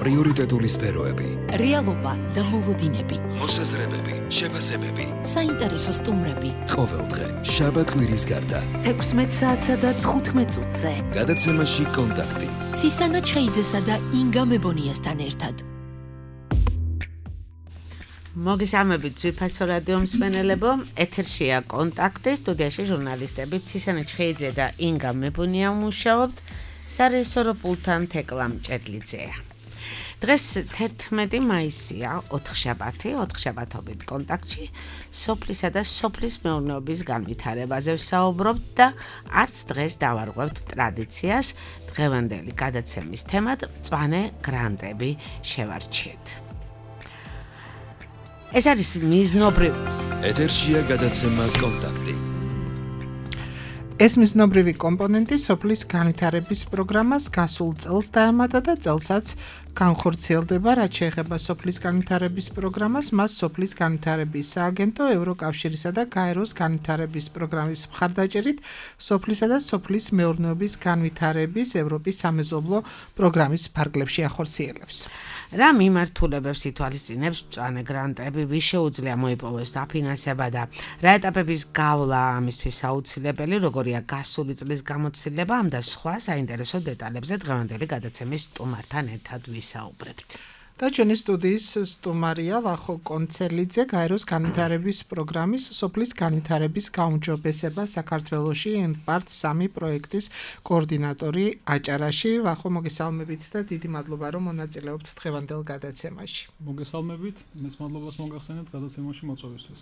პრიორიტეტული სფეროები, რეალობა და მოლოდინები, მოსაზრებები, შეფასებები, საინტერესო სტუმრები. ყოველდღე შაბათ-კვირის გარდა 16 საათსა და 15 წუთზე. გადაცემაში კონტაქტი. ცისანა ჩხეიძესა და ინგა მებონიასთან ერთად. მოგესალმებით ძვირფასო რადიო მსმენელებო, ეთერშია კონტაქტი, სტუდიაში ჟურნალისტები ცისანა ჩხეიძე და ინგა მებონია მუშაობთ, სარეჟისორო პულტთან თეკლა მჭედლიძეა. დღეს 11 მაისია, ოთხშაბათობით კონტაქტში სოფლისა და სოფლის მეურნეობის განვითარებაზე ვსაუბრობთ და არც დღეს დავარღვევთ ტრადიციას, დღევანდელი გადაცემის თემად მწვანე გრანტები შევარჩიეთ. ეს არის მიზნობრივი ეთერშია გადაცემა კონტაქტი. ეს მიზნობრივი კომპონენტი სოფლის განვითარების პროგრამას გასულ წელს დაემატა და წელსაც განხორციელდება, რაც შეეხება სოფლის განვითარების პროგრამას, მას სოფლის განვითარების სააგენტო, ევროკავშირისა და გაეროს განვითარების პროგრამის მხარდაჭერით სოფლისა და სოფლის მეურნეობის განვითარების ევროპის სამეზობლო პროგრამის ფარგლებში ახორციელებს. რა მიმართულებებს ითვალისწინებს მწვანე გრანტები, ვის შეუძლია მოიპოვოს დაფინანსება და რა ეტაპების გავლა ამისთვის აუცილებელი, როგორია გასული წლის გამოცდილება, ამ და სხვა საინტერესო დეტალებზე დღევანდელი გადაცემის სტუმართან ერთად ვისაუბრებთ. და ჩვენი სტუდიის სტუმარია ვახო კონცელიძე, გაეროს განვითარების პროგრამის სოფლის განვითარების გაუმჯობესება საქართველოში part 3 პროექტის კოორდინატორი აჭარაში. ვახო, მოგესალმებით და დიდი მადლობა რომ მონაწილეობთ დღევანდელ გადაცემაში. მოგესალმებით, მეც მადლობას მოგახსენებთ გადაცემაში მოწვევისთვის.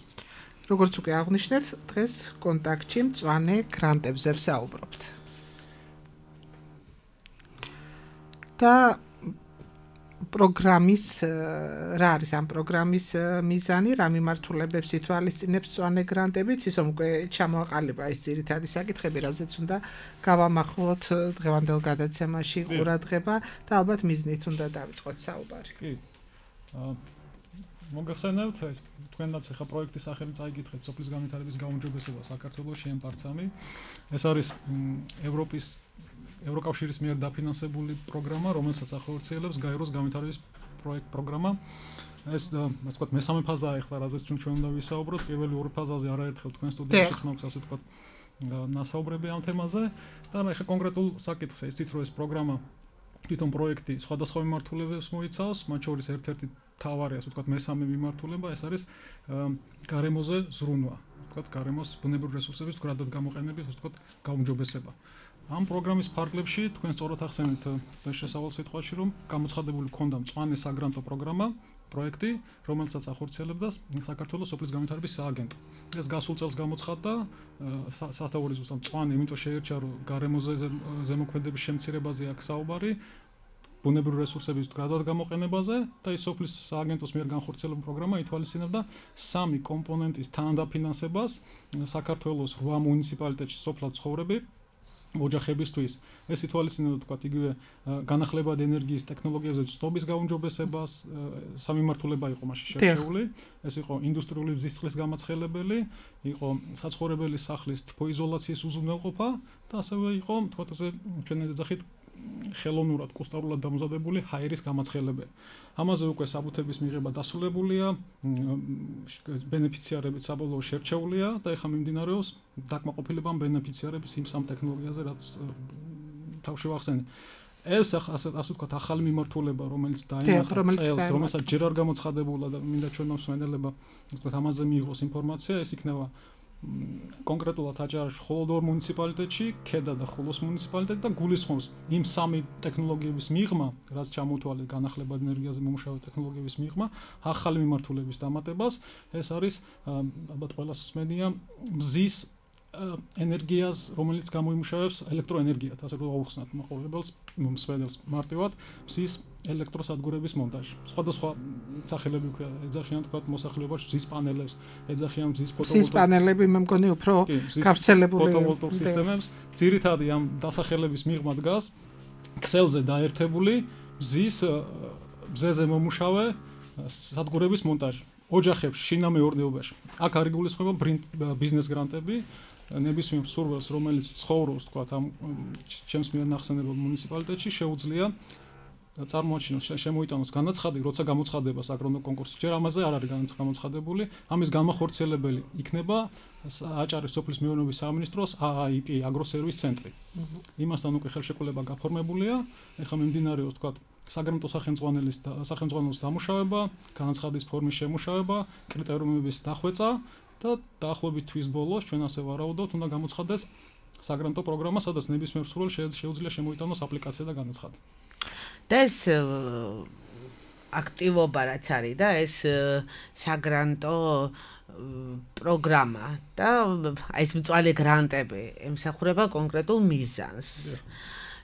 როგორც უკვე აღნიშნეთ, დღეს კონტაქტში მწვანე გრანტებზე ვსაუბრობთ. და პროგრამის რა არის ამ პროგრამის მიზანი, რა მიმართულებებს ითვალისწინებს მწვანე გრანტები, ისე უკვე ჩამოაყალიბა ეს ძირითადი საკითხები, რაზეც უნდა გავამახვილოთ დღევანდელ გადაცემაში ყურადღება და ალბათ მიზნით უნდა დავიწყოთ საუბარი. კი. მოგახსენებთ, თქვენაც ახლა პროექტის სახელი წაიგითხეთ სოფლის განვითარების გაუმჯობესება საქართველოში part 3. ეს არის ევროკავშირის მიერ დაფინანსებული პროგრამა, რომელსაც ახორციელებს გაეროს განვითარების პროგრამა. ეს ვთქვათ, მესამე ფაზაა ახლა, რაზეც ჩვენ უნდა ვისაუბროთ. პირველი ორი ფაზაზე არაერთხელ თქვენ სტუდიაში მაქვს, ასე ვთქვათ, ნასაუბრები ამ თემაზე. და ახლა კონკრეტულ საკითხს იცით, რომ ეს პროგრამა თვითონ პროექტი სხვადასხვა მიმართულებებს მოიცავს, მათ შორის ერთ-ერთი თავარი, ასე ვთქვათ, მესამე მიმართულება, ეს არის გარემოზე ზრუნვა. ვთქვათ, გარემოს ბუნებრივი რესურსების მდგრადად გამოყენების, ასე ვთქვათ, გაუმჯობესება. ამ პროგრამის ფარგლებში თქვენ სწორად ახსენეთ შესავალ სიტყვაში, რომ გამოცხადებული ქონდა მწვანე საგრანტო პროგრამა, პროექტი, რომელსაც ახორციელებდა საქართველოს სოფლის განვითარების სააგენტო. ეს გასულ წელს გამოცხადდა, სათაური ზუსტად მწვანე, იმიტომ შეერჩა, რომ გარემოზე ზემოქმედების შემცირებაზე აქვს საუბარი, ბუნებრივი რესურსების მდგრადად გამოყენებაზე და ის სოფლის სააგენტოს მიერ განხორციელებული პროგრამა ითვალისწინებდა 3 კომპონენტის თანდაფინანსებას საქართველოს 8 მუნიციპალიტეტში სოფლად ცხოვრები ოჯახებისთვის. ეს ითვალისწინებდა, თქვათ, იგივე განახლებადი ენერგიის ტექნოლოგიებზე ცნობის გაუმჯობესებას, სამიმართულება იყო მაშინ შერჩეული. ეს იყო ინდუსტრიული მზისწყლის გამაცხელებელი, იყო საცხოვრებელი სახლის თბოიზოლაციის უზრუნველყოფა და ასევე იყო, თქვათ, ჩვენ ეძახით ხელოვნურად, კუსტარულად დამზადებული ჰაერის გამაცხელებელი. ამაზე უკვე საბუთების მიღება დასრულებულია, ბენეფიციარებიც საბოლოო შერჩეულია და ეხლა მიმდინარეობს დაკმაყოფილება ბენეფიციარების იმ სამ ტექნოლოგიაზე, რაც თავში ვახსენე. ეს ასე ვთქვათ, ახალი მიმართულება, რომელიც დაემახა წელს, რომელსაც ჯერ არ გამოცხადებულა და მინდა ჩვენ მოსმენელება, ვთქვათ, ამაზე მიიღოს ინფორმაცია, ეს იქნება კონკრეტულად აჭარაში მხოლოდ 2 მუნიციპალიტეტში, ქედა და ხულოს მუნიციპალიტეტი და გულისხმობს იმ 3 ტექნოლოგიების მიღმა, რაც ჩამოთვალეს განახლებადი ენერგიაზე მომუშავე ტექნოლოგიების მიღმა, ახალი მიმართულების დამატებას. ეს არის ალბათ ყველას მსმენია მზის ენერგიას, რომელიც გამოიმუშავებს ელექტროენერგიად, ასე რომ აუხსნათ მაყურებელს, მსმენელს მარტივად მზის ელექტროსადგურების მონტაჟი. სხვადასხვა სახელები უკვე ეძახიან, თქვათ, მოსახლეობაში მზის პანელებს, ეძახიან მზის ფოტოვოლტაიკის პანელები, მე მგონი უფრო გავრცელებული ფოტოვოლტაიკურ სისტემებს. ძირითადად ამ დასახელების მიღმა დგას ქსელზე დაერთებული მზეზე მომუშავე სადგურების მონტაჟი. ოჯახებში, შინამეურნეობაში. აქ არის გულისხმობა ბიზნეს გრანტები, ნებისმიერ მსურველს, რომელიც ცხოვრობს, თქვათ, ამ ჩემს მიერ ნახსენებელ მუნიციპალიტეტში, შეუძლია წარმოაჩინოს შემოიტანოს განაცხადი, როცა გამოცხადება საგრონტო კონკურსი. ჯერ ამაზე არ არის გამოცხადებული. ამის განმახორციელებელი იქნება აჭარის სოფლის მეურნეობის სამინისტროს AIP აგროსერვის ცენტრი. იმასთან უკვე ხელშეკრულება გაფორმებულია. ეხლა მიმდინარეობს თქვა საგრანტო სახელმძღვანელოს დამუშავება, განაცხადის ფორმის შემუშავება, კრიტერიუმების დახვეწა და დაახლოებით თვის ბოლოს ჩვენ ასე ვარაუდობთ, უნდა გამოცხადდეს საგრანტო პროგრამა, სადაც ნებისმიერ მსურველს შეუძლია შემოიტანოს აპლიკაცია და განაცხადი. და ეს აქტივობა რაც არის და ეს საგრანტო პროგრამა და ეს მწვანე გრანტები ემსახურება კონკრეტულ მიზანს.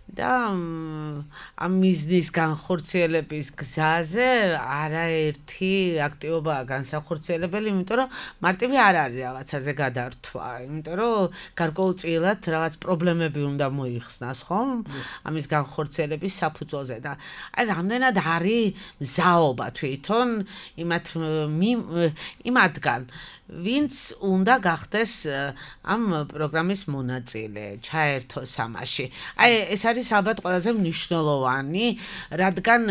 და ამ მიზნის განხორციელების გზაზე არაერთი აქტივობაა განსახორციელებელი, იმიტომ რომ მარტივი არ არის რაღაცაზე გადართვა, იმიტომ რომ გარკვეულწილად რაღაც პრობლემები უნდა მოიხსნას, ხომ? ამის განხორციელების საფუძველზე და აი რამდენად არის მზაობა თვითონ იმათგან ვინც უნდა გახდეს ამ პროგრამის მონაწილე, ჩაერთოს ამაში. აი ეს არის ალბათ ყველაზე მნიშვნელოვანი, რადგან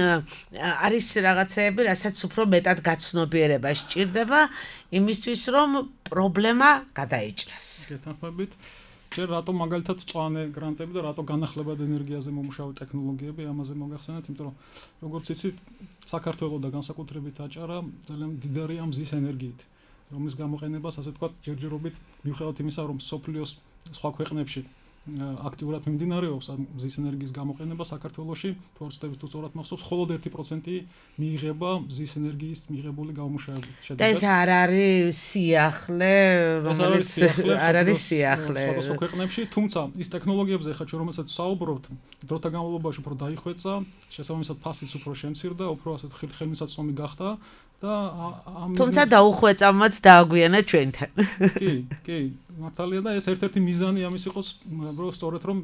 არის რაღაცეები, რასაც უფრო მეტად გაცნობიერება სჭირდება იმისთვის, რომ პრობლემა გადაიჭრას. გეთანხმებით. ჯერ რატომ მაგალითად მწვანე გრანტები და რატო განახლებად ენერგიაზე მომუშავე ტექნოლოგიები ამაზე მოგახსენეთ, იმიტომ რომ როგორც იცით, საქართველოს და განსაკუთრებით აჭარა ძალიან მდიდარია მზის ენერგიით. რომლის გამოყენებას ასე თქვა ჯერჯერობით მიუხედავად იმისა, რომ სოფლიოს სხვა ქვეყნებში აქტიურად მიმდინარეობს მზის ენერგიის გამოყენება საქართველოში, თორსტების თუ სწორად მახსოვს, მხოლოდ 1% მიიღება მზის ενέργიის მიღებული გამომუშავების შედეგად. და ეს არ არის სიახლე, რომელიც არ არის სიახლე. სხვა ქვეყნებში, თუმცა ის ტექნოლოგიებზე ხა ჩვენ რომელსაც საუბრობთ, დროთა განმავლობაში უფრო დაიხვეწა, შესაბამისად ფასიც უფრო შემცირდა, უფრო ასეთ ხელმისაწვდომი გახდა. თუმცა დაუხვეწამაც დააგვიანა ჩვენთან. კი, მართალია და ეს ერთ-ერთი მიზანი ამის იყოს, რომ სწორედ რომ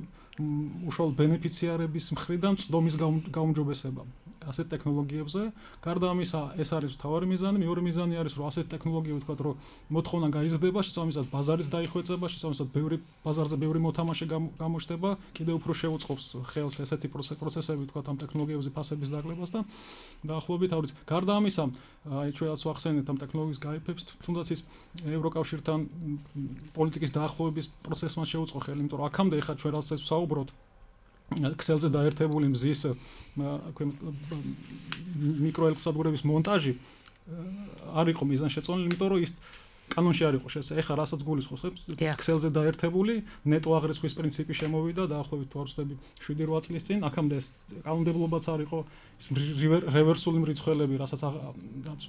უშუალოდ ბენეფიციარების მხრიდან წვდომის გაუმჯობესება ასეთ ტექნოლოგიებზე. გარდა ამისა, ეს არის მთავარი მიზანი, მეორე მიზანი არის, რომ ასეთ ტექნოლოგიები თქვა, რომ მოთხოვნა გაიზრდება, შესაბამისად ბაზარის დაიხვეწება, შესაბამისად ბაზარზე ბევრი მოთამაშე გამოჩნდება, კიდევ უფრო შეუწყობს ხელს ესეთი პროცესები თქვა ამ ტექნოლოგიებზე ფასების დაგლებას და დაახლოებით არის. გარდა ამისა, აი ჩვენაც ვახსენეთ ამ ტექნოლოგიის გაიფებს, თუნდაც ის ევროკავშირთან პოლიტიკის დაახლოების პროცესმა შეუწყო ხელი, იმიტომ რომ აქამდე ხა ჩვენ რასაც საუბრობთ ქსელზე დაერთებული მზის მიკროელექტროსადგურების მონტაჟი არ იყო მიზანშეწონილი, იმიტომ რომ ის კანონში არ იყო შესაძლებელი. ეხლა რასაც გულისხმობს, ქსელზე დაერთებული ნეტო აღრიცხვის პრინციპი შემოვიდა დაახლოებით 7-8 წლის წინ. აქამდე ეს კანონმდებლობაც არ იყო, ის რევერსული მრიცხველები, რასაც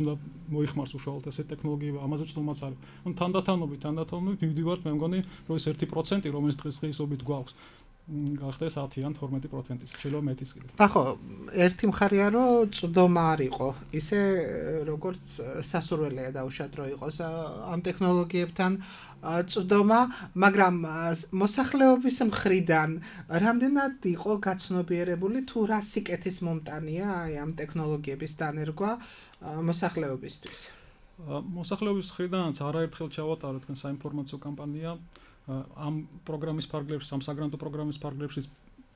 უნდა მოიხმარს უშუალოდ ესეთი ტექნოლოგიები, ამაზე წვდომაც არის. ანუ თანდათანობით მივდივართ, მე მგონი, რომ ეს 1%, რომელიც დღესდღეობით გვაქვს, გახდეს 10 ან 12%, შეიძლება მეტიც კიდე. ახო, ერთი მხარეა, რომ წვდომა არ იყო, ისე როგორც სასურველია დაუშვათ რომ იყოს ამ ტექნოლოგიებთან წვდომა, მაგრამ მოსახლეობის მხრიდან რამდენად იყო გაცნობიერებული თუ რა სიკეთის მომტანია აი ამ ტექნოლოგიების დანერგვა მოსახლეობისთვის? მოსახლეობის მხრიდანაც არაერთხელ ჩავატარეთ თქვენ საინფორმაციო კამპანია ამ პროგრამის ფარგლებში, ამ საგრანტო პროგრამის ფარგლებში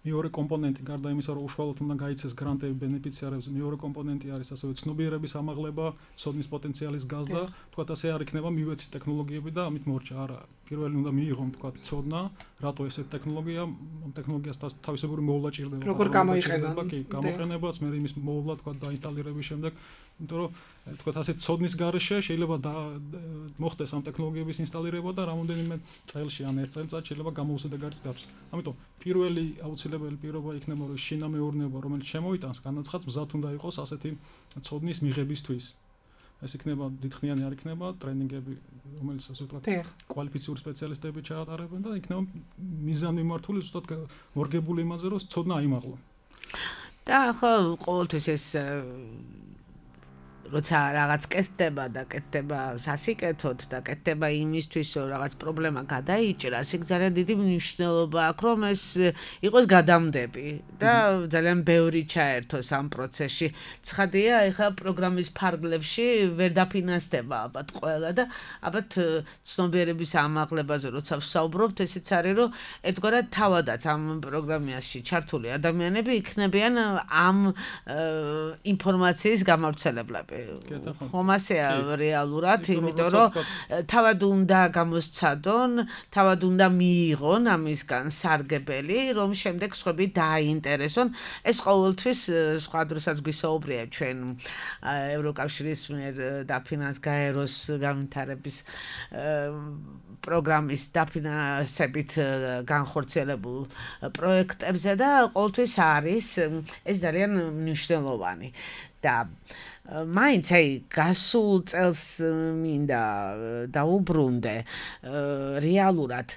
მეორე კომპონენტი გარდა იმისა, რომ უშუალოდ უნდა გაიცეს გრანტები ბენეფიციარებს, მეორე კომპონენტი არის ასევე ცნობიერების ამაღლება, ცოდნის პოტენციალის გაზრდა, თქვათ ასე არ იქნება მივეცით ტექნოლოგიები და ამით მორჩა. არა, პირველი უნდა მიიღონ თქვათ ცოდნა, რატო ესეთ ტექნოლოგია, ამ ტექნოლოგიას თავისებური მოვლა ჭირდება. როგორ გამოიყენა? კი, გამოყენებაც, მე იმის მოვლა თქვათ დაინსტალირების შემდეგ, იმიტომ რომ თქვათ ასე ცოდნის გარეშე შეიძლება მოხდეს ამ ტექნოლოგიების ინსტალირება და რამოდენიმე წელში ან ერთ წელიწადში შეიძლება გამოუსადეგარიც დარჩეს. ამიტომ პირველი აუცილებელი პირობა იქნება, რომ შინა მეურნეობა, რომელიც შემოიტანს განაცხადს, მზად უნდა იყოს ასეთი ცოდნის მიღებისთვის. ეს იქნება დიდხნიანი არ იქნება ტრენინგები, რომელიც ასე ვთქვათ, კვალიფიციური სპეციალისტები ჩაატარებენ და იქნება მიზანმიმართული ზუსტად მორგებული იმაზე, რომ ცოდნა აიმაღლა. და ხო, ყოველთვის ეს როცა რაღაც კეთდება სასიკეთოდ და კეთდება იმისთვის, რომ რაღაც პრობლემა გადაიჭრას, იქ ძალიან დიდი მნიშვნელობა აქვს, რომ ეს იყოს გადამდები და ძალიან ბევრი ჩაერთოს ამ პროცესში. ცხადია, ეხლა პროგრამის ფარგლებში ვერ დაფინანსდება ალბათ ყველა და ალბათ ცნობიერების ამაღლებაზე როცა ვსაუბრობთ, ესეც არის, რომ ერთგვარად თავადაც ამ პროგრამაში ჩართული ადამიანები იქნებიან ამ ინფორმაციის გამავრცელებლები. ხომ ასეა რეალურად, იმიტომ რომ თავად უნდა გამოსცადონ, თავად უნდა მიიღონ ამისგან სარგებელი, რომ შემდეგ სხვები დააინტერესონ. ეს ყოველთვის სხვა დროსაც გვისაუბრია ჩვენ ევროკავშირის მიერ დაფინანსების განვითარების პროგრამის დაფინანსებით განხორციელებულ პროექტებზე და ყოველთვის არის ეს ძალიან მნიშვნელოვანი და მაინც აი გასულ წელს მინდა დაუბრუნდე რეალურად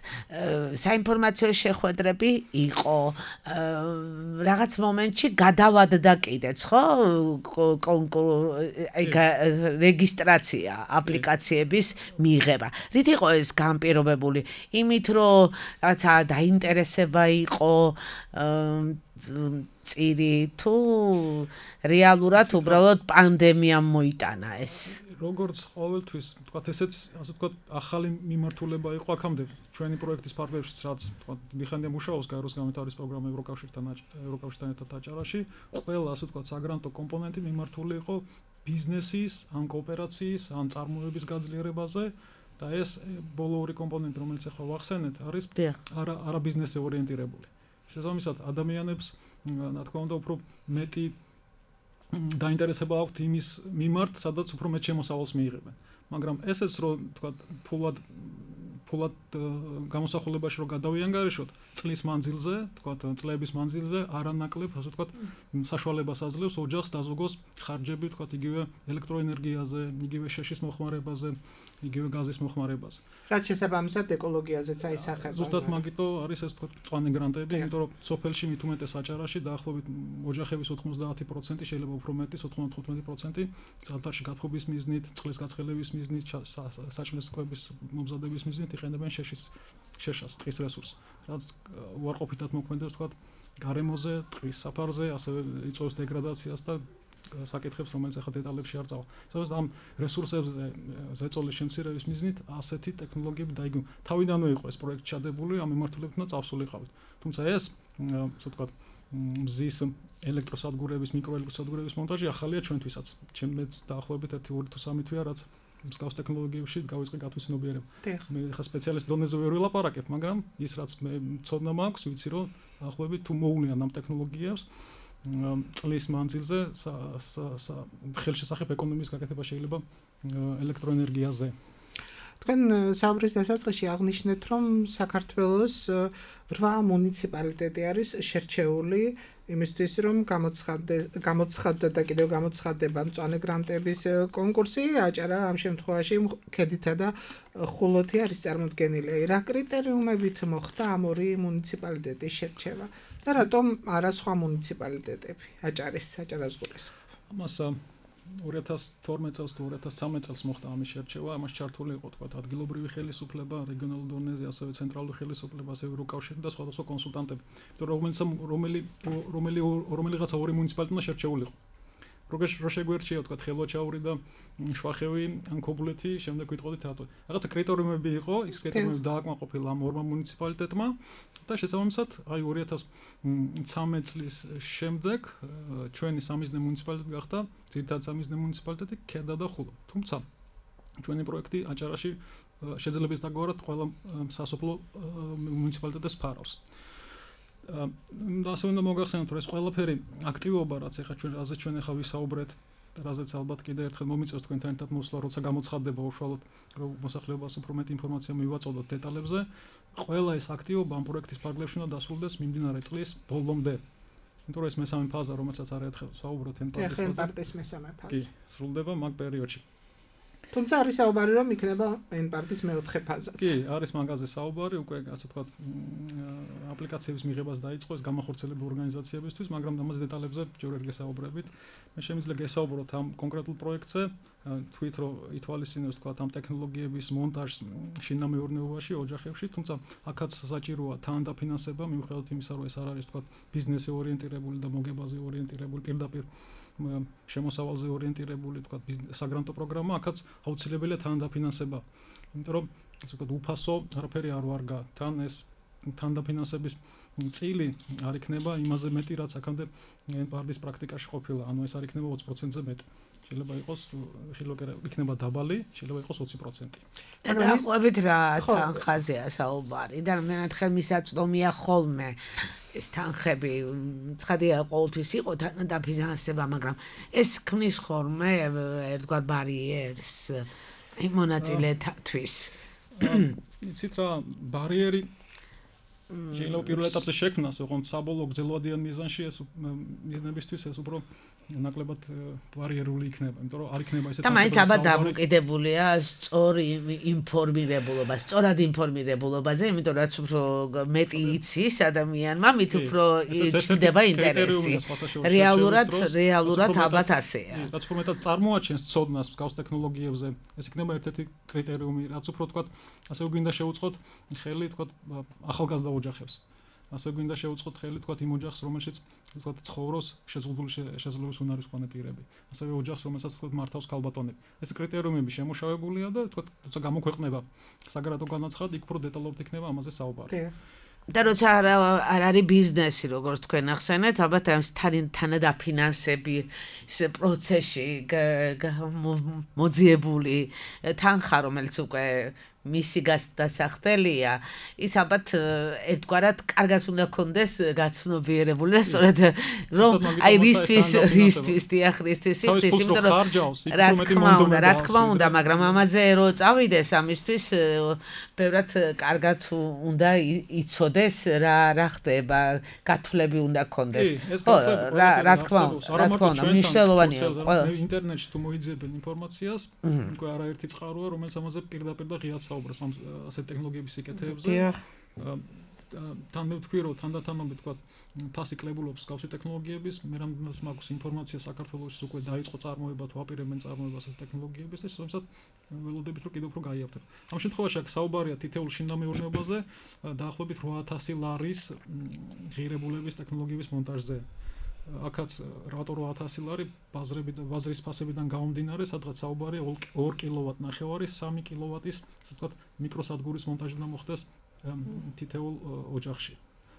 საინფორმაციო შეხვედრები იყო რაღაც მომენტში გადავადდა კიდეც ხო რეგისტრაცია აპლიკაციების მიღება რით იყო ეს განპირობებული იმით რომ რაღაცა დაინტერესება იყო წირი თუ რეალურად უბრალოდ პანდემიამ მოიტანა ეს როგორც ყოველთვის თქვა ესეც ასე თქვა ახალი მიმართულება იყო აქამდე ჩვენი პროექტის ფარგლებშიც რაც თქვა დიდხანია მუშაობს გაეროს განვითარების პროგრამა ევროკავშირთან ერთად აჭარაში ყველა ასე თქვა საგრანტო კომპონენტი მიმართული იყო ბიზნესის ან კოოპერაციის ან წარმოების გაძლიერებაზე და ეს ბოლო ორი კომპონენტი რომელიც ახლა ვახსენეთ არის არა ბიზნესზე ორიენტირებული შესაბამისად ადამიანებს რა თქმა უნდა უფრო მეტი დაინტერესება აქვთ იმის მიმართ, სადაც უფრო მეტ შემოსავალს მიიღებენ. მაგრამ ესეც რომ თქვა ფულად გამოსახულებაში რომ გადავიანგარიშოთ, წლის მანძილზე, თქვა წლების მანძილზე არანაკლებ, ასე თქვა საშუალებას აძლევს ოჯახს დაზოგოს ხარჯები, თქვა იგივე ელექტროენერგიაზე, იგივე შეშის მოხმარებაზე, იგივე გაზის მოხმარებაზე. რაც შესაბამისად ეკოლოგიაზეც აისახება. ზუსტად მაგიტო არის ეს თქვა მწვანე გრანტები, იმიტომ რომ სოფელში მით უმეტეს აჭარაში დაახლოებით ოჯახების 90% შეიძლება უფრო მეტი 95% ზამთარში გათხოვების მიზნით, წყლის გაცხელების მიზნით, საჭმლის კვების მომზადების მიზნით იყენებენ შეშას, ტყის რესურსს. რაც უარყოფითად მოქმედებს თქვა გარემოზე, ტყის საფარზე, ასევე იწვევს დეგრადაციას და საკითხებს, რომელიც ახლა დეტალებში არ წავალ. სადაც ამ რესურსებზე ზეწოლის შემცირების მიზნით ასეთი ტექნოლოგიები დაიგო. თავიდანვე იყო ეს პროექტი ჩადებული, ამ მიმართულებით უნდა წავსულიყავით. თუმცა ეს, ასე ვთქვათ, მზის ელექტროსადგურების, მიკროელექტროსადგურების მონტაჟი ახალია ჩვენთვისაც. ჩემს დაახლოებით 1-2 თუ 3 თვეა, რაც მსგავს ტექნოლოგიებში გავიწყე გათვისნობიერება. მე ხა სპეციალისტ დონეზე ვერ ვილაპარაკებ, მაგრამ ის რაც მე ცოდნა მაქვს, ვიცი რომ დაახლოებით თუ მოულიან ამ ტექნოლოგიებს წლის მანძილზე ხელშესახებ ეკონომიკის გაკეთება შეიძლება ელექტროენერგიაზე. თქვენ საუბრის დასაწყისში აღნიშნეთ, რომ საქართველოს 8 მუნიციპალიტეტი არის შერჩეული იმისთვის, რომ გამოცხადდა და კიდევ გამოცხადდება მწვანე გრანტების კონკურსი, აჭარა ამ შემთხვევაში ქედითა და ხულოთი არის წარმოდგენილი. რა კრიტერიუმებით მოხდა ამ ორი მუნიციპალიტეტის შერჩევა და რატომ არა სხვა მუნიციპალიტეტები აჭარას გულისხმობ? ამას 2012 წელს თუ 2013 წელს მოხდა ამის შერჩევა, ამას ჩართული იყო თქვა ადგილობრივი ხელისუფლება, რეგიონალურ დონეზე, ასევე ცენტრალური ხელისუფლება, ასევე ევროკავშირი და სხვადასხვა კონსულტანტები. რომელიღაცა ორი მუნიციპალიტეტმა შერჩეულიყო. რო შეგვერჩია თქვა ხელვაჩაური და შვახევი ან ქობულეთი, შემდეგ ვიტყოდით რატო. რაღაცა კრიტერიუმები იყო, ის კრიტერიუმები დააკმაყოფილა ამ ორმა მუნიციპალიტეტმა და შესაბამისად, აი 2013 წლის შემდეგ ჩვენი სამიზნე მუნიციპალიტეტი გახდა ძირითადად სამიზნე მუნიციპალიტეტი ქედა და ხულო. თუმცა ჩვენი პროექტი აჭარაში შეძლების დაგვარად ყველა სასოფლო მუნიციპალიტეტებს ფარავს. და ასე უნდა მოგახსენოთ, რომ ეს ყველაფერი აქტივობა, რაც ახლა ჩვენ ახლა ვისაუბრეთ, რაზეც ალბათ კიდევ ერთხელ მომიწევს თქვენთან ერთად მოსვლა, როცა გამოცხადდება უშუალოდ რომ მოსახლეობას უფრო მეტი ინფორმაცია მივაწოდოთ დეტალებზე, ყველა ეს აქტივობა ამ პროექტის ფარგლებში უნდა დასრულდეს მიმდინარე წლის ბოლომდე. იმიტომ რომ ეს მესამე ფაზა, რომელსაც არაერთხელ ვსაუბრობთ, ენპარტის მესამე ფაზა. კი, სრულდება მაგ პერიოდში. თუმცა არის საუბარი რომ იქნება N-პარტის მეოთხე ფაზაც. კი, არის მაგაზე საუბარი, უკვე ასე ვთქვათ, აპლიკაციების მიღებას დაიწყო ეს გამახორციელებელი ორგანიზაციებისთვის, მაგრამ ამაზე დეტალებზე ჯერ ვერ გესაუბრებით. მე შემიძლია გესაუბროთ ამ კონკრეტულ პროექტზე, თქვით რომ ითვალისწინებს ვთქვათ ამ ტექნოლოგიების მონტაჟს შინამეურნეობაში, ოჯახებში, თუმცა აქაც საჭიროა თანდაფინანსება, მიუხედავად იმისა, რომ ეს არ არის ვთქვათ ბიზნესზე ორიენტირებული და მოგებაზე ორიენტირებული, პირდაპირ შემოსავალზე ორიენტირებული თქვა საგრანტო პროგრამა, აქაც აუცილებელია თანდაფინანსება. იმიტომ რომ ასე ვთქვათ უფასო არაფერი არ ვარგა. თან ეს თანდაფინანსების წილი არ იქნება იმაზე მეტი, რაც აქამდე პარტის პრაქტიკაში ყოფილა. ანუ ეს არ იქნება 20%-ზე მეტი. შეიძლება იყოს იქნება დაბალი, შეიძლება იყოს 20%. და დაახლოებით რა თანხაზეა საუბარი და რამდენად ხელმისაწვდომია ხოლმე ეს თანხები. ცხადია ყოველთვის იყო თანდაფინანსება, მაგრამ ეს ქმნის ხოლმე ერთგვარ ბარიერს მონაწილეთათვის. იცით რა, ბარიერი შეიძლება პირველ ეტაპზე შექმნას, ოღონდ საბოლოო გრძელვადიან მიზანში ეს მიზნებისთვის ეს უფრო ნაკლებად ბარიერული იქნება, იმიტომ რომ არ იქნება ესეთი და მაინც აბა დამოკიდებულია სწორ ინფორმირებულობას, სწორად ინფორმირებულობაზე, იმიტომ რაც უფრო მეტი იცის ადამიანმა, მით უფრო ჭდება ინტერესი. რეალურად ალბათ ასეა. რაც უფრო მეტად წარმოაჩენს ცოდნას მსგავს ტექნოლოგიებზე, ეს იქნება ერთ-ერთი კრიტერიუმი, რაც უფრო თქვა, ასე გვინდა შევუწყოთ ხელი თქვა ახალგაზრდა ოჯახებს. ასე გვინდა შევუწყოთ ხელი თქვა იმ ოჯახს, რომელშიც თქვა ცხოვრობს შეძლებული უნარის მქონე პირები. ასევე ოჯახს, რომელსაც თქვა მართავს ქალბატონები. ეს კრიტერიუმები შემუშავებულია და თქვა როცა გამოქვეყნება საგრადო განაცხადი, იქ უფრო დეტალურად იქნება ამაზე საუბარი. და როცა არ არის ბიზნესი, როგორც თქვენ ახსენეთ, ალბათ ამ თანადაფინანსები პროცესში მოძიებული თანხა, რომელიც უკვე მისი დასახდელია, ის ალბათ ერთგვარად კარგად უნდა კონდეს გაცნობიერებული და სწორედ რომ აი რისთვის დიახრისთვის იხდის, იმიტომ რომ რა თქმა უნდა, მაგრამ ამაზე რო წავიდეს ამისთვის ბევრად კარგად უნდა იცოდეს რა ხდება, გათვლები უნდა კონდეს. რა თქმა უნდა, მნიშვნელოვანია. ინტერნეტში თუ მოიძებენ ინფორმაციას, უკვე არაერთი წყაროა, რომელიც ამაზე პირდაპირ და ღიად საუბრობს ამ ასეთ ტექნოლოგიების სიკეთეებზე. თან მე ვთქვი, რომ თანდათანობით თქვა თასი კლებულობს მსგავსი ტექნოლოგიების, მე რამდენადაც მაქვს ინფორმაცია საქართველოში უკვე დაიწყო წარმოება თუ აპირებენ წარმოებას ასეთ ტექნოლოგიების და შესაბამისად ველოდებით რომ კიდევ უფრო გაიაფთებ. ამ შემთხვევაში აქ საუბარია თითოეულ შინამეურნეობაზე დაახლოებით 800 ლარის ღირებულების ტექნოლოგიების მონტაჟზე. აქაც რატო 800 ლარი ბაზრის ფასებიდან გამომდინარე, სადღაც საუბარია 2 კილოვატ ნახევარის 3 კილოვატის, ასე ვთქვათ, მიკროსადგურის მონტაჟი უნდა მოხდეს თითოეულ ოჯახში.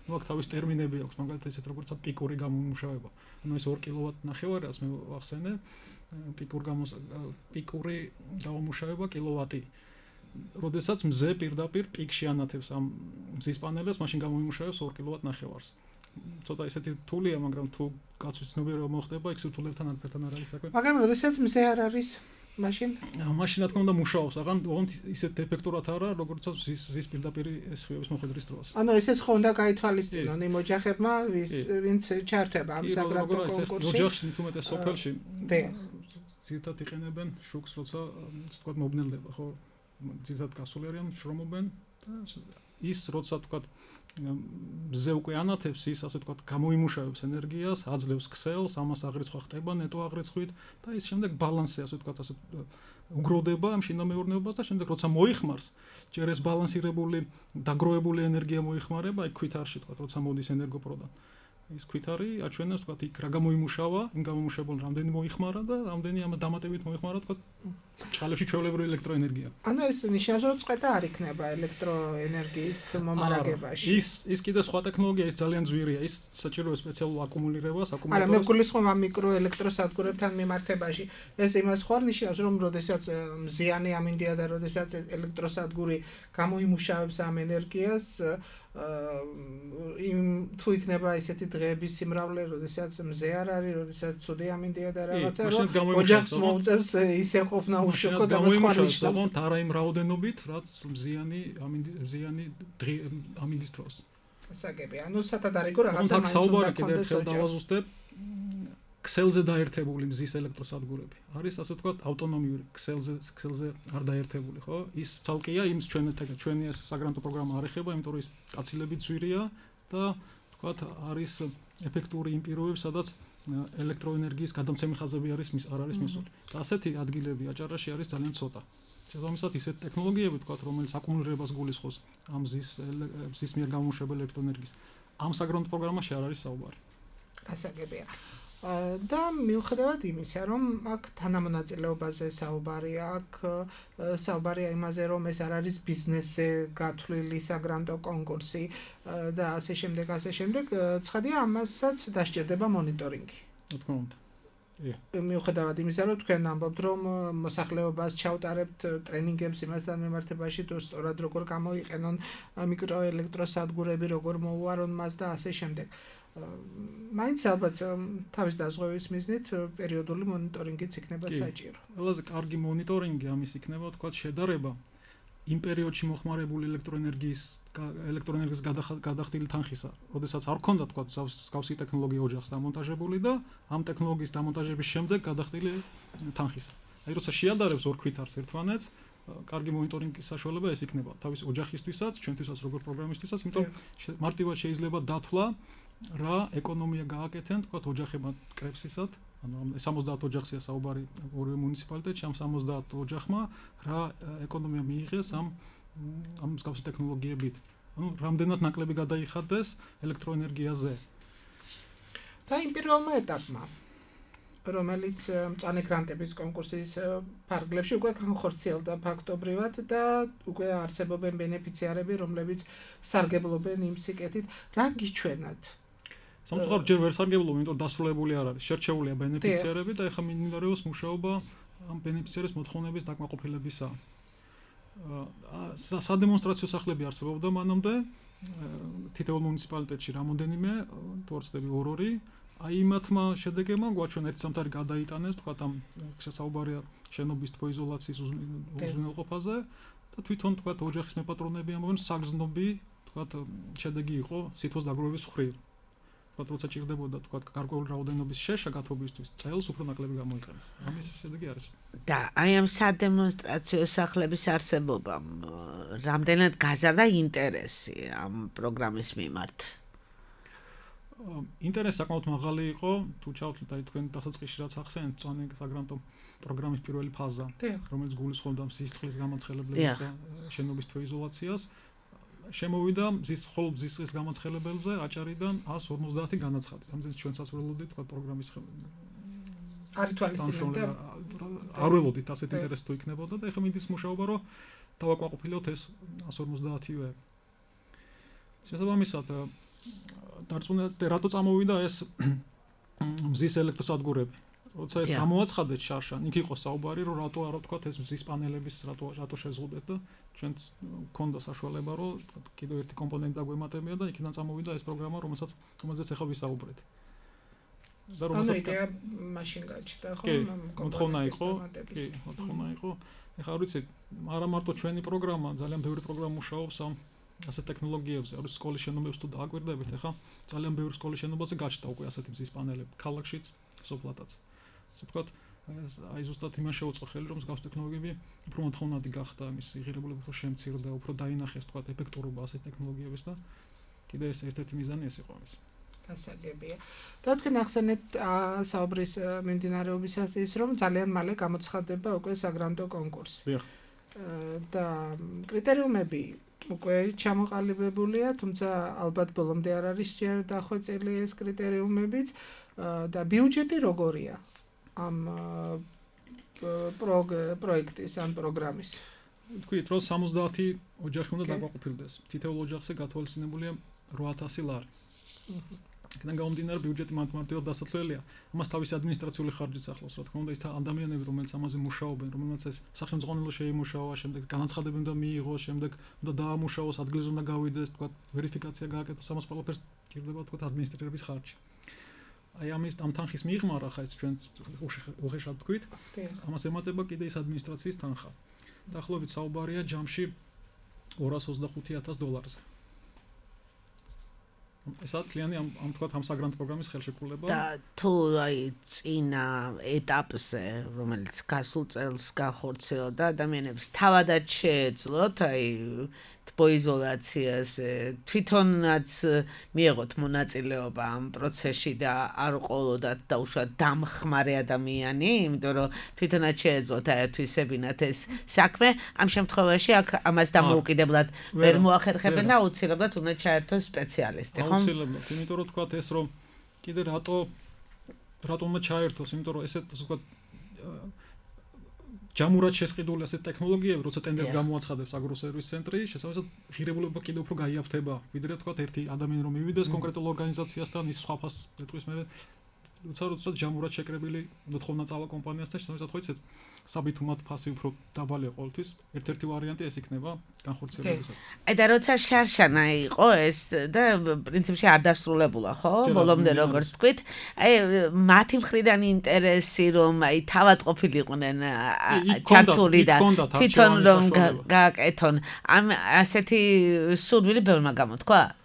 ნუ აქ თავის ტერმინები აქვს, მაგალითად ესეთ როგორც პიკური გამომუშავება. ანუ ეს 2 კილოვატ ნახევარი, ასე მე ვახსენე, პიკური გამომუშავება კილოვატი. როდესაც მზე პირდაპირ პიკში ანათებს ამ მზის პანელებს, მაშინ გამომუშავებს 2 კილოვატ ნახევარს. ცოტა ისეთი რთულია, მაგრამ თუ კაცის ცნობიერება მოხდება, იქ სირთულებთან არაფერთან არ არის საქმე. მაგრამ როდესაც მზე არ არის, მაშინ რა თქმა უნდა მუშაობს, ოღონდ ისეთ ეფექტურად არა, როგორცაც ზის პირდაპირ სხივების მოხვედრის დროს. ანუ ესეც ხო უნდა გაითვალისწინონ იმ ოჯახებმა, ვინც ჩართება ამ საგრაფო კონკურსში. ოჯახში თუმეტეს სოფელში ძირითადად იყენებენ შუქს, როცა თქვა მობნელდება, ხო? ძირითადად გასული არიან, შრომობენ და ის როცა თქვა მზე უკვე ანათებს, ის ასე თქვა გამოიმუშავებს ენერგიას, აძლევს ქსელს, ამას აღრიცხვა ხდება ნეტო აღრიცხვით და ის შემდეგ ბალანსი ასე თქვა ასე უგროვდება ამ შინამეურნეობას და შემდეგ როცა მოიხმარს, ჯერ ეს ბალანსირებული, დაგროვებული ენერგია მოიხმარება, აი ქვითარში თქვა, როცა მოდის ენერგოპროდან. ის ქვითარი აჩვენებს თქვა იქ რა გამოიმუშავა, იმ გამომუშავებულ რამდენი მოიხმარა და რამდენი ამ დამატებით მოიხმარა თქვა წყალებში ჩვეულებრივი ელექტროენერგია. ანუ ეს ნიშნავს რომ წვეთა არ იქნება ელექტროენერგიის მომარაგებაში. ის კიდე სხვა ტექნოლოგია, ის ძალიან ძვირია, ის საჭიროა სპეციალურ აკუმულირებას, არა, მე გულისხმობ ამ მიკროელექტროსადგურებთან მიმართებაში. ეს იმას ხوار ნიშნავს რომ როდესაც მზიანი ამინდია და როდესაც ელექტროსადგური გამოიმუშავებს ამ ენერგიას თუ იქნება ისეთი დღეების სიმრავლე, როდესაც მზე არ არის, როდესაც ცუდი ამინდია და რაღაცა, რომ ოჯახს მოუწევს ისე ყოფნა უშუქო და მოხმარიშნავს. არა იმ რაოდენობით, რაც მზიანი ამინდის დროს. ასაგები, ანუ სათადარიგო რაღაცა მაინც უნდა კონდეს ოჯახს. ქსელზე დაერთებული მზის ელექტროსადგურები. არის ასე ვთქვათ ავტონომიური ქსელზე არ დაერთებული, ხო? ის ცალკეა იმის ჩვენი ეს საგრანტო პროგრამა არ ეხება, იმიტომ რომ ის კაცილებით ძვირია და ვთქვათ არის ეფექტური იმ პირობებში, სადაც ელექტროენერგიის გადამცემი ხაზები არ არის მისული. და ასეთი ადგილები აჭარაში არის ძალიან ცოტა. შესაბამისად ისეთ ტექნოლოგიები ვთქვათ, რომელიც აკუმულირებას გულისხმობს ამ მზის მიერ გამომუშავებელი ელექტროენერგიის. ამ საგრანტო პროგრამაში არ არის საუბარი. გასაგებია. და მიუხედავად იმისა, რომ აქ თანამონაწილეობაზე საუბარია, აქ საუბარია იმაზე, რომ ეს არ არის ბიზნესზე გათვლილი საგრანტო კონკურსი და ასე შემდეგ, ცხადია ამასაც დასჭირდება მონიტორინგი. რა თქმა უნდა. მიუხედავად იმისა, რომ თქვენ ამბობთ, რომ მოსახლეობას ჩავტარებთ ტრენინგებს იმასთან მიმართებაში, თუ სწორად როგორ გამოიყენონ მიკროელექტროსადგურები, როგორ მოუვარონ მას და ასე შემდეგ. მაინც ალბათ თავის დაზღვევის მიზნით პერიოდული მონიტორინგიც იქნება საჭირო. ყველაზე კარგი მონიტორინგი ამის იქნება, თქვათ, შედარება იმ პერიოდში მოხმარებული ელექტროენერგიის გადახდილი თანხისა, როდესაც არ ქონდა, თქვათ, გავსი ტექნოლოგია ოჯახს დამონტაჟებული და ამ ტექნოლოგიის დამონტაჟების შემდეგ გადახდილი თანხისა. აი როცა შეადარებს ორ ქვითარს ერთმანეთს, კარგი მონიტორინგის საშუალება ეს იქნება თავის ოჯახისთვისაც, ჩვენთვისაც როგორც პროგრამისტვისაც, იმიტომ მარტივად შეიძლება დათვლა რა ეკონომია გააკეთენ, თქვათ, ოჯახებმა კრებსისად, ანუ 70 ოჯახია საუბარი ორივე მუნიციპალიტეტში, ამ 70 ოჯახმა რა ეკონომია მიიღეს ამ მსგავსი ტექნოლოგიებით. ანუ რამდენად ნაკლები გადაიხადეს ელექტროენერგიაზე. და იმ პირველმა ეტაპმა, რომელიც მწვანე გრანტების კონკურსის ფარგლებში უკვე განხორციელდა ფაქტობრივად და უკვე არსებობენ ბენეფიციარები, რომლებიც სარგებლობენ იმ სიკეთით, რა გიჩვენათ? სამწუხაროდ ჯერ ვერ სარგებლობენ, იმიტომ რომ დასრულებული არ არის. შერჩეულია ბენეფიციარები და ეხლა მინიმუმ მუშაობა ამ ბენეფიციარის მოთხოვნების დაკმაყოფილებისა. სადემონსტრაციო სახლები არსებობდა მანამდე თითოეულ მუნიციპალიტეტში რამოდენიმე, თუ არ ვცდები 2-2. აი იმათმა შედეგებმა გვაჩვენა ერთ სამთარი გადაიტანეს, თქვათ ამ შესაუბარია შენობის თბოიზოლაციის უზრუნველყოფაზე და თვითონ თქვათ ოჯახის მეპატრონები ამბობენ საგზნობი, თქვათ შედეგი იყო სითბოს დაგროვების მხრივ. თქვათ როცა ჭირდებოდა თქვათ გარკვეული რაოდენობის შეშა გათბობისთვის წელს უფრო ნაკლები გამოიყენეს. ამის შედეგი არის. და აი ამ სადემონსტრაციო სახლების არსებობამ რამდენად გაზარდა ინტერესი ამ პროგრამის მიმართ? ინტერესი საკმაოდ მაღალი იყო, თუ ჩავთვლით აი თქვენ დასაწყისში რაც ახსენეთ, მწვანე საგრანტო პროგრამის პირველი ფაზა, რომელიც გულისხმობდა მზის წყლის გამაცხელებლებს და შენობის თბოიზოლაციას, შემოვიდა მზის წყლის გამაცხელებელზე აჭარიდან 150 განაცხადი. ამიტომ ჩვენსაც ველოდით თქვა პროგრამის არ ითვალისწინებდა. არ ველოდით ასეთ ინტერესი თუ იქნებოდა და ეხლა მინდის მუშაობა, რომ დავაკმაყოფილოთ ეს 150-ე. შესაბამისად დარწმუნდა რატო წამოვიდა ეს მზის ელექტროსადგურები. როცა ეს გამოაცხადეთ შარშან, იქ იყო საუბარი, რომ რატო არა ვთქვათ ეს მზის პანელების რატო შეზღუდეთ და ჩვენც გქონდა საშუალება, რომ კიდევ ერთი კომპონენტი დაგვემატებია და იქიდან წამოვიდა ეს პროგრამა, რომელზეც ახლა ვისაუბრეთ. და რომელსაც იდეა მაშინ გაჩნდა, ხო? მოთხოვნა იყო. ეხლა არ ვიცი, არა მარტო ჩვენი პროგრამა, ძალიან ბევრი პროგრამა მუშაობს ამ ასეთ ტექნოლოგიებზე, არის სკოლის შენობებს თუ დააკვირდებით, ახლა ძალიან ბევრი სკოლის შენობაზე გაჩნდა უკვე ასეთი მზის პანელები, ქალაქშიც, სოფლათაც. ასე ვთქვათ, აი ზუსტად იმას შეუწყო ხელი, რომ მსგავს ტექნოლოგიები უფრო მოთხოვნადი გახდა, ამის იღირებულება უფრო შემცირდა, უფრო დაინახეს, ვთქვათ, ეფექტურობა ასეთ ტექნოლოგიების და კიდე ეს ერთ-ერთი მიზანი ეს იყო ამის. გასაგებია. და თქვენ ახსენეთ საუბრის მიმდინარეობისას ის, რომ ძალიან მალე გამოცხადდება უკვე საგრანტო კონკურსი. და კრიტერიუმები უკვე ჩამოყალიბებულია, თუმცა ალბათ ბოლომდე არ არის ჯერ დახვეწილი ეს კრიტერიუმებიც და ბიუჯეტი როგორია ამ პროექტის ან პროგრამის. თქვით, რომ 70 ოჯახი უნდა დაკმაყოფილდეს. თითოეულ ოჯახზე გათვალისწინებულია 800 ლარი. აქედან გამომდინარე ბიუჯეტი მარტივად დასათვლელია. ამას თავისი ადმინისტრაციული ხარჯიც ახლავს, რა თქმა უნდა, ის ადამიანები, რომელთაც ამაზე მუშაობენ, რომელთაც ეს სახელმწიფო შეიმუშავა, შემდეგ განაცხადებები უნდა მიიღოს, შემდეგ უნდა დაამუშავოს, ადგილზე უნდა გავიდეს, თქვა, ვერიფიკაცია გააკეთოს, ამას ყველაფერს გირდება, თქვა, ადმინისტრირების ხარჯი. აი ამის ამ თანხის მიღმა, ხა ეს ჩვენ უხეშად თქვით, ამას ემატება კიდე ის ადმინისტრაციის თანხა. დაახლოებით საუბარია ჯამში $225,000-ზე. ესაა თლიანი ამ თქვათ ამ საგრანტო პროგრამის ხელშეკრულება და თუ აი წინა ეტაპზე რომელიც გასულ წელს განხორციელდა ადამიანებს თავადაც შეეძლოთ აი თბოიზოლაციაზე თვითონაც მიიღოთ მონაწილეობა ამ პროცესში და არ ყოლოდათ დაუშვათ დამხმარე ადამიანი, იმიტომ რომ თვითონაც შეეძლოთ აერთვისებინათ ეს საქმე, ამ შემთხვევაში აქ ამას დამოუკიდებლად ვერ მოახერხებენ და აუცილებლად უნდა ჩაერთოს სპეციალისტი, ხო? აუცილებლად, იმიტომ რომ თქვათ ეს რომ კიდე რატომ ჩაერთოს, იმიტომ რომ ესე თქვათ ჯამურად შესყიდული ასეთ ტექნოლოგიები, როცა ტენდერს გამოაცხადებს აგროსერვის ცენტრი, შესაბამისად ღირებულება კიდევ უფრო გაიაფთება, ვიდრე თქვათ ერთი ადამიანი რომ მივიდეს კონკრეტულ ორგანიზაციასთან, ის სხვა ფასს ეტყვის მე როცა ჯამურად შეკრებილი მოთხოვნა წავა კომპანიასთან, შესაბამისად ხო იცით, საბითუმად ფასი უფრო დაბალია ყოველთვის. ერთ-ერთი ვარიანტი ეს იქნება განხორციელებისას. აი და როცა შარშანა იყო ეს და პრინციპში არ დასრულებულა, ხო? ბოლომდე როგორც თქვით, აი მათი მხრიდან ინტერესი რომ აი თავად ყოფილიყვნენ ჩართული და თვითონ რომ გააკეთონ. ამ ასეთი სურვილი ბევრმა გამოთქვა?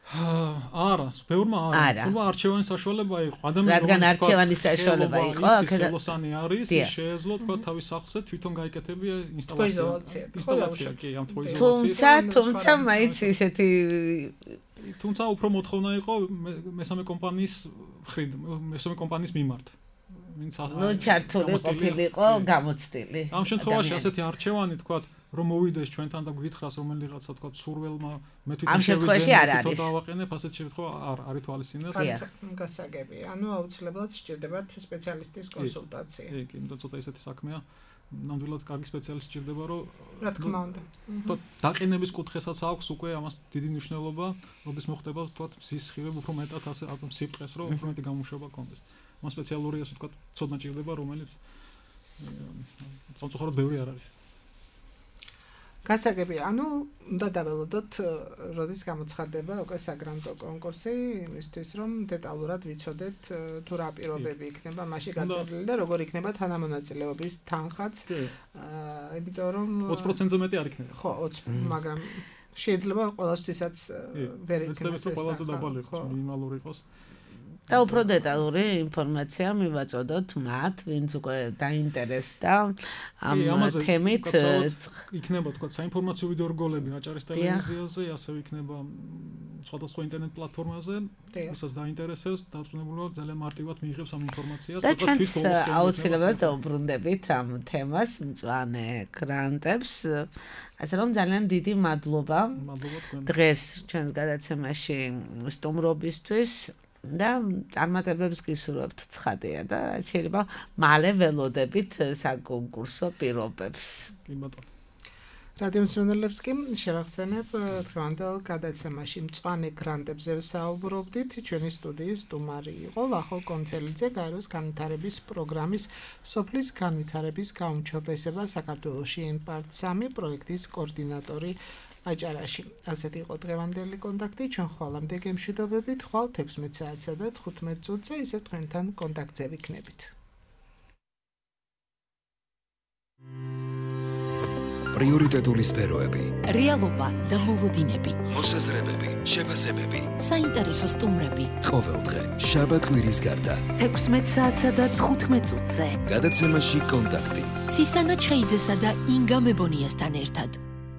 არა, ბევრმა არა. თუმცა არჩევანის საშუალება იყო. რადგან არჩევანის საშუალება იყო, აქედან არის შეეძლო თქვა თავის სახლზე თვითონ გაიკეთებია ინსტალაცია, კი, ამ თბოიზოლაციის. თუმცა მაინც ისეთი თუმცა უფრო მოთხოვნა იყო მესამე კომპანიის მიმართ. ნუ ჩართული ყოფილიყო გამოცდილი. ამ შემთხვევაში ასეთი არჩევანი თქვა რომ მოვიდეს ჩვენთან და გითხრას რომელიღაცა თქვა სურველმა მე თვითონ შევიძენე დავაყენებ ასეთ შემთხვევა არ ითვალისწინებს გასაგები ანუ აუცილებლად სჭირდებათ სპეციალისტის კონსულტაცია კი იმიტომ ცოტა ესეთი საქმეა ნამდვილად კარგი სპეციალისტი სჭირდება რომ რა თქმა უნდა დაყენების კუთხესაც აქვს უკვე ამას დიდი მნიშვნელობა როდის მოხდება თქვა მზის სხივები უფრო მეტად ასე სიფტყეს რომ უფრო მეტი გამუშავება კონდეს მას სპეციალური ასე თქვა ცოდნა სჭირდება რომელიც სამწუხაროდ ბევრი არ არის გასაგები, ანუ უნდა დაველოდოთ, როდის გამოცხადდება უკვე საგრანტო კონკურსი, იმისთვის რომ დეტალურად ვიცოდეთ თუ რა პირობები იქნება მასში გაწერილი და როგორ იქნება თანამონაწილეობის თანხაც. იმიტომ რომ 20%-ზე მეტი არ იქნება. ხო, 20, მაგრამ შეიძლება ყველასთვისაც ვერ იქნას ეს ყველაზე დაბალი იყოს, მინიმალური იყოს. და უფრო დეტალური ინფორმაცია მივაწოდოთ მათ, ვინც უკვე დაინტერესდა ამ თემით. იქნება თქვა საინფორმაციო ვიდეორგოლები აჭარის ტელევიზიაზე, ასევე იქნება სხვადასხვა ინტერნეტ პლატფორმაზე, ვისაც დაინტერესებს, დაწუნებულად ძალიან მარტივად მიიღებს ამ ინფორმაციას. და ჩვენც აუცილებლად დაუბრუნდებით ამ თემას, მწვანე გრანტებს. ასე რომ ძალიან დიდი მადლობა დღეს ჩვენს გადაცემაში სტუმრობისთვის. და წარმატებებს გისურვებთ ცხადია და შეიძლება მალე ველოდებით საკონკურსო პირობებს. კი ბატონო. რადიო მსმენელებს კი შევახსენებ დღევანდელ გადაცემაში მწვანე გრანტებზე ვსაუბრობდით. ჩვენი სტუდიის სტუმარი იყო ვახო კონცელიძე, გაეროს განვითარების პროგრამის სოფლის განვითარების გაუმჯობესება საქართველოში NPART-3 პროექტის კოორდინატორი აჭარაში. ასეთი იყო დღევანდელი კონტაქტი. ჩვენ ხვალამდე გემშვიდობებით. ხვალ 16 საათსა და 15 წუთზე ისევ თქვენთან კონტაქტზე ვიქნებით. პრიორიტეტული სფეროები, რეალობა და მოლოდინები, მოსაზრებები, შეფასებები, საინტერესო სტუმრები. ყოველდღე შაბათ-კვირის გარდა 16 საათსა და 15 წუთზე გადაცემაში კონტაქტი. ცისანა ჩხეიძესა და ინგა მებონიასთან ერთად.